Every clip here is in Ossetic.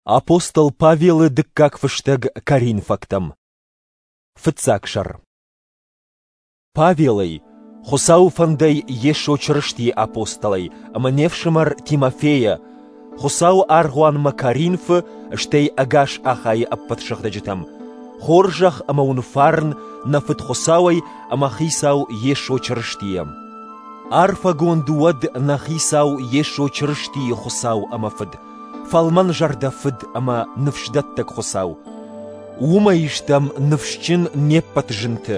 Апостол Павелы дыккаг фыстӕг Коринфӕгтӕм. Фыццаг сӕр. Павелӕй, Хуыцауы фӕндӕй Йесо Чырыстийы апостолӕй ӕмӕ не фсымӕр Тимофейӕ, Хуыцауы аргъуанмӕ Коринфы, стӕй ӕгас Ахайы ӕппӕт сыгъдӕджытӕм, хорзӕх ӕмӕ уын фарн нӕ Фыд Хуыцауӕй ӕмӕ Хицау Йесо Чырыстийӕ. Арфӕгонд уӕд нӕ Хицау Йесо Чырыстийы Хуыцау ӕмӕ Фыд, фӕлмӕнзӕрдӕ Фыд ӕмӕ ныфсдӕттӕг Хуыцау. Уымӕй стӕм ныфсджын не ппӕт зынты,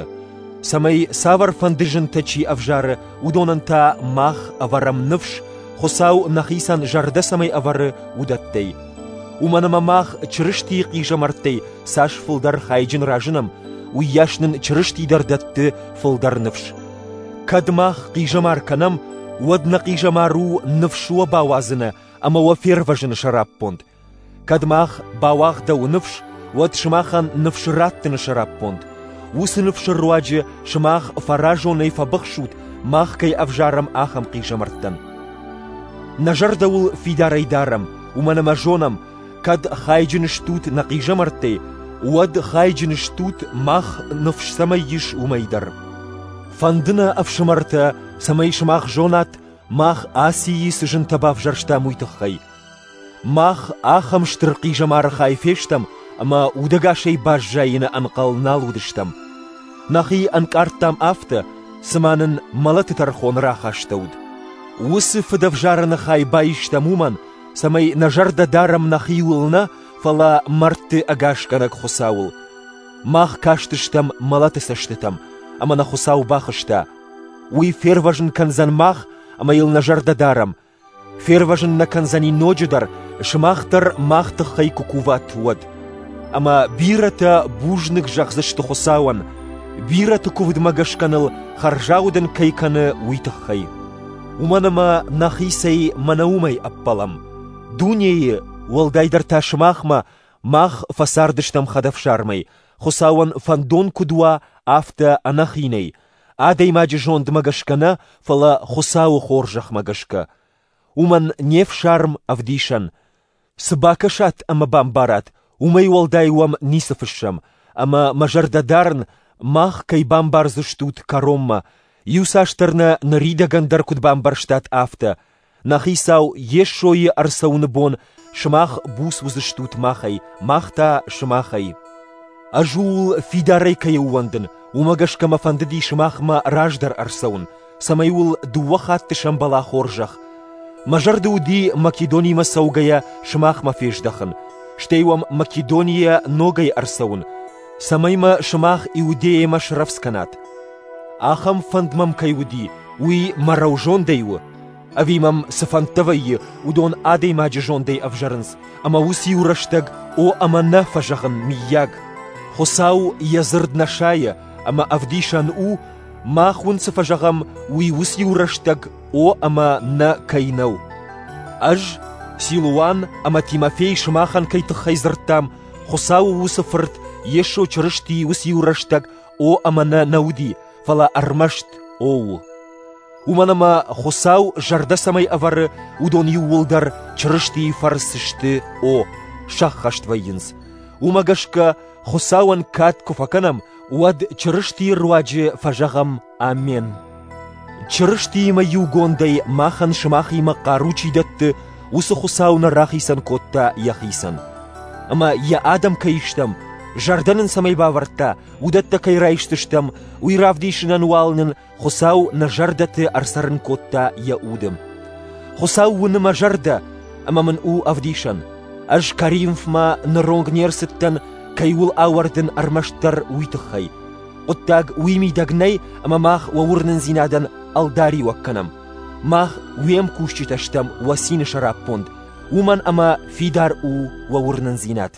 цӕмӕй цавӕрфӕнды зынтӕ чи ӕвзары, уыдонӕн та мах ӕвӕрӕм ныфс, Хуыцау нӕхицӕн зӕрдӕ цӕмӕй ӕвӕры, уыдӕттӕй. Уымӕн ӕмӕ мах Чырыстийы хъизӕмӕрттӕй цас фылдӕр хайджын разынӕм, уыйас нын Чырысти дӕр дӕтты фылдӕр ныфс. Кӕд мах хъизӕмар кӕнӕм, уӕд нӕ хъизӕмар у ныфс уӕ бауадзыны ӕмӕ уӕ фервӕзыны сӕраппонд. Кӕд мах бауагъдӕуы ныфс, уӕд сымахӕн ныфс раттыны сӕраппонд. Уыцы ныфсы руаджы сымах фӕразонӕй фӕбыхсут, мах кӕй ӕвзарӕм, ахӕм хъизӕмӕрттӕн. Нӕ зӕрдӕ уыл фидарӕй дарӕм, уымӕн ӕмӕ зонӕм, кӕд хайджын стут нӕ хъизӕмӕрттӕй, уӕд хайджын стут, мах ныфс цӕмӕй ис, уымӕй дӕр. Фӕнды нӕ, ӕфсымӕртӕ, цӕмӕй сымах зонат, Мах Асийы цы зынтӕ бавзӕрстам, уый тыххӕй. Мах ахӕм стыр хъизӕмары хай фестӕм, ӕмӕ удӕгасӕй баззайыны ӕнхъӕл нал уыдыстӕм. Нӕхи ӕнкъардтам афтӕ, цыма нын мӕлӕты тӕрхон рахастӕуыд. Уыцы фыдӕвзарӕны хай баистӕм уымӕн, цӕмӕй нӕ зӕрдӕ дарӕм нӕхиуыл нӕ, фӕлӕ мӕрдты ӕгасгӕнӕг Хуыцауыл. Мах кастыстӕм мӕлӕты цӕстытӕм, ӕмӕ нӕ Хуыцау бахызта – Уый фервӕзын кӕндзӕн мах, ӕмӕ йыл нӕ зӕрдӕ дарӕм. Фервӕзын нӕ кӕндзӕни ноджыдӕр, сымах дӕр мах тыххӕй куы куват, уӕд. Ӕмӕ бирӕтӕ бузныг зӕгъдзысты Хуыцауӕн, бирӕты куывдмӕ гӕсгӕ ныл хӕрзаудӕн кӕй кӕны, уый тыххӕй. Уымӕн ӕмӕ нӕхицӕй мӕнӕ уымӕй ӕппӕлӕм. Дунейы, уӕлдайдӕр та сымахмӕ, мах фӕцардыстӕм хӕдӕфсармӕй, Хуыцауӕн фӕндон куыд уа, афтӕ ӕнӕхинӕй, адӕймаджы зондмӕ гӕсгӕ нӕ, фӕлӕ Хуыцауы хорзӕхмӕ гӕсгӕ. Уымӕн не фсарм ӕвдисӕн. Цы бакӕсат ӕмӕ бамбарат, уымӕй уӕлдай уӕм ницы фыссӕм, ӕмӕ мӕ зӕрдӕ дарын, мах кӕй бамбардзыстут кӕронмӕ, иуцасдӕр нӕ ныридӕгӕн дӕр куыд бамбӕрстат, афтӕ, Нӕ Хицау Йесойы ӕрцӕуыны бон сымах буц уыдзыстут махӕй, мах та сымахӕй. Ӕз ууыл фидарӕй кӕй ӕууӕндын, уымӕ гӕсгӕ мӕ фӕндыди сымахмӕ раздӕр ӕрцӕуын, цӕмӕй уыл дыууӕ хатты сӕмбӕла хорзӕх. Мӕ зӕрды уыди Македонимӕ цӕугӕйӕ сымахмӕ фездӕхын, стӕй уӕм Македонийӕ ногӕй ӕрцӕуын, цӕмӕй мӕ сымах Иудейӕмӕ срӕвдз кӕнат. Ахӕм фӕнд мӕм кӕй уыди, уый мӕ рӕузондӕй у, Ӕви мӕм цы фӕндтӕ вӕййы, уыдон адӕймаджы зондӕй ӕвзӕрынц, ӕмӕ уыциу рӕстӕг о ӕмӕ нӕ фӕзӕгъын, мыййаг. Хуыцау йӕ дзырд нӕ сайы ӕмӕ ӕвдисӕн у, мах уын цы фӕзӕгъӕм, уый уыциу рӕстӕг о ӕмӕ нӕ кӕй нӕу. Ӕз, Силуан ӕмӕ Тимофей сымахӕн кӕй тыххӕй дзырдтам, Хуыцауы уыцы Фырт Йесо Чырысти уыциу рӕстӕг о ӕмӕ нӕ нӕ уыди, фӕлӕ ӕрмӕст о у. Уымӕн ӕмӕ Хуыцау зӕрдӕ цӕмӕй ӕвӕры, уыдон иууылдӕр Чырыстийы фӕрцы сты «О», сӕххӕст вӕййынц. Уымӕ гӕсгӕ Хуыцауӕн кад куы фӕкӕнӕм, уӕд Чырыстийы руаджы фӕзӕгъӕм «Амен». Чырыстиимӕ иугондӕй махӕн сымахимӕ хъару чи дӕтты, уыцы Хуыцау нӕ рахицӕн кодта йӕхицӕн. Ӕмӕ йӕ адӕм кӕй стӕм, зӕрдӕ нын цӕмӕй бавӕрдта, уыдӕттӕ кӕй райсдзыстӕм, уый равдисынӕн уал нын Хуыцау нӕ зӕрдӕты ӕрцӕрын кодта йӕ уды. Хуыцау уыны мӕ зӕрдӕ ӕмӕ мын у ӕвдисӕн. Ӕз Коринфмӕ ныронг не рцыдтӕн, кӕй уыл ауӕрдын ӕрмӕстдӕр уый тыххӕй. Хъуыддаг уый мидӕг нӕй, ӕмӕ мах уӕ уырнындзинадӕн ӕлдариуӕг кӕнӕм. Мах уе мкусджытӕ стӕм уӕ цины сӕраппонд, уымӕн ӕмӕ фидар у уӕ уырнындзинад.